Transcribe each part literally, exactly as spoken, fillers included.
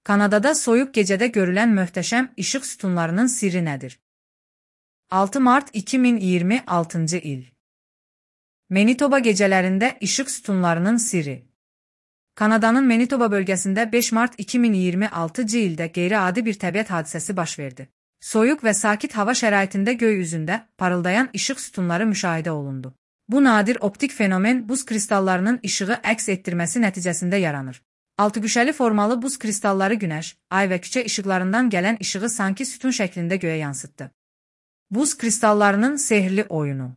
Kanadada soyuq gecədə görülən möhtəşəm işıq sütunlarının sirri nədir? altı mart iki min iyirmi altıncı il. Manitoba gecələrində işıq sütunlarının sirri. Kanadanın Manitoba bölgəsində beş mart iki min iyirmi altıncı ildə qeyri-adi bir təbiət hadisəsi baş verdi. Soyuq və sakit hava şəraitində göy üzündə parıldayan işıq sütunları müşahidə olundu. Bu nadir optik fenomen buz kristallarının işığı əks etdirməsi nəticəsində yaranır. Altıgüşəli formalı buz kristalları günəş, ay və küçə işıqlarından gələn işığı sanki sütun şəklində göyə yansıtdı. Buz kristallarının sehirli oyunu.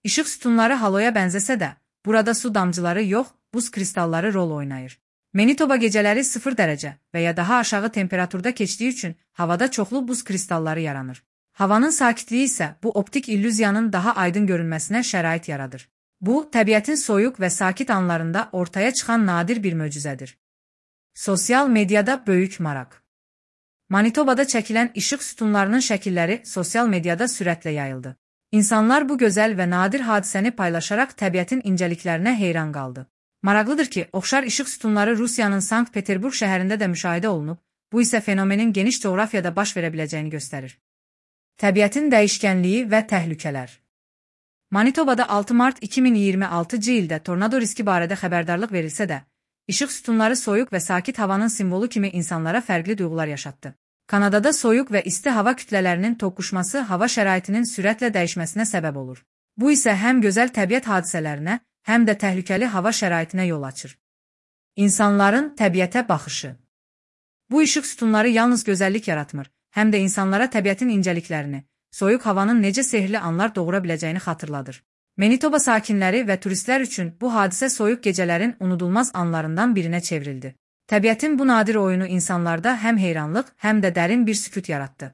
İşıq sütunları haloya bənzəsə də, burada su damcıları yox, buz kristalları rol oynayır. Manitoba gecələri sıfır dərəcə və ya daha aşağı temperaturda keçdiyi üçün havada çoxlu buz kristalları yaranır. Havanın sakitliyi isə bu optik illüziyanın daha aydın görünməsinə şərait yaradır. Bu, təbiətin soyuq və sakit anlarında ortaya çıxan nadir bir möcüzədir. Sosial mediada böyük maraq. Manitobada çəkilən işıq sütunlarının şəkilləri sosial mediada sürətlə yayıldı. İnsanlar bu gözəl və nadir hadisəni paylaşaraq təbiətin incəliklərinə heyran qaldı. Maraqlıdır ki, oxşar işıq sütunları Rusiyanın Sankt-Peterburq şəhərində də müşahidə olunub, bu isə fenomenin geniş coğrafiyada baş verə biləcəyini göstərir. Təbiətin dəyişkənliyi və təhlükələr. Manitobada altı mart iki min iyirmi altıncı ildə tornado riski barədə xəbərdarlıq verilsə də, işıq sütunları soyuq və sakit havanın simvolu kimi insanlara fərqli duyğular yaşatdı. Kanadada soyuq və isti hava kütlələrinin toqquşması hava şəraitinin sürətlə dəyişməsinə səbəb olur. Bu isə həm gözəl təbiət hadisələrinə, həm də təhlükəli hava şəraitinə yol açır. İnsanların təbiətə baxışı. Bu işıq sütunları yalnız gözəllik yaratmır, həm də insanlara təbiətin incəliklərini, soyuq havanın necə sehirli anlar doğura biləcəyini xatırladır. Manitoba sakinləri və turistlər üçün bu hadisə soyuq gecələrin unudulmaz anlarından birinə çevrildi. Təbiətin bu nadir oyunu insanlarda həm heyranlıq, həm də dərin bir sükut yaratdı.